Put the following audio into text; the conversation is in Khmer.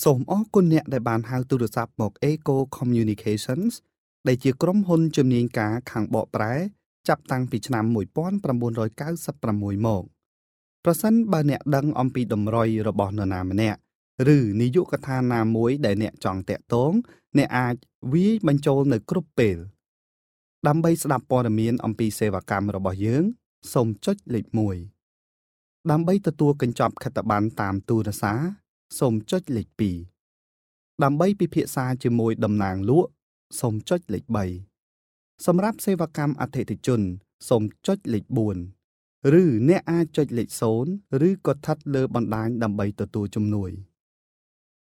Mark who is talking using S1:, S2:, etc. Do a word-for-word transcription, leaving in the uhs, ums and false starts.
S1: សូមអរគុណអ្នកដែលបានហៅទូរស័ព្ទមក Eco Communications ដែលជាក្រុមហ៊ុនជំនាញការខាងបកប្រែចាប់តាំងពីឆ្នាំមួយពាន់ប្រាំបួនរយកៅសិបប្រាំមួយមកប្រសិនបើអ្នកដឹងអំពីតម្រុយរបស់នរណាម្នាក់ឬនាយកដ្ឋានណាមួយដែលអ្នកចង់តាក់ទងអ្នកអាចវាយបញ្ចូលនៅគ្រប់ពេលដើម្បីស្ដាប់ព័ត៌មានអំពីសេវាកម្មរបស់យើងសូមចុចលេខមួយដើម្បីទទួលកញ្ចប់ខិត្តប័ណ្ណតាមទូរស័ព្ទសូមចុចលេខពីរដើម្បីពិភាក្សាជាមួយតំណាងលក់សូមចុចលេខបីសម្រាប់សេវាកម្មអតិថិជនសូមចុចលេខបួនឬអ្នកអាចចុចលេខសូន្យឬក៏ស្ថិតលើបណ្ដាញដើម្បីទទួលជំនួយ។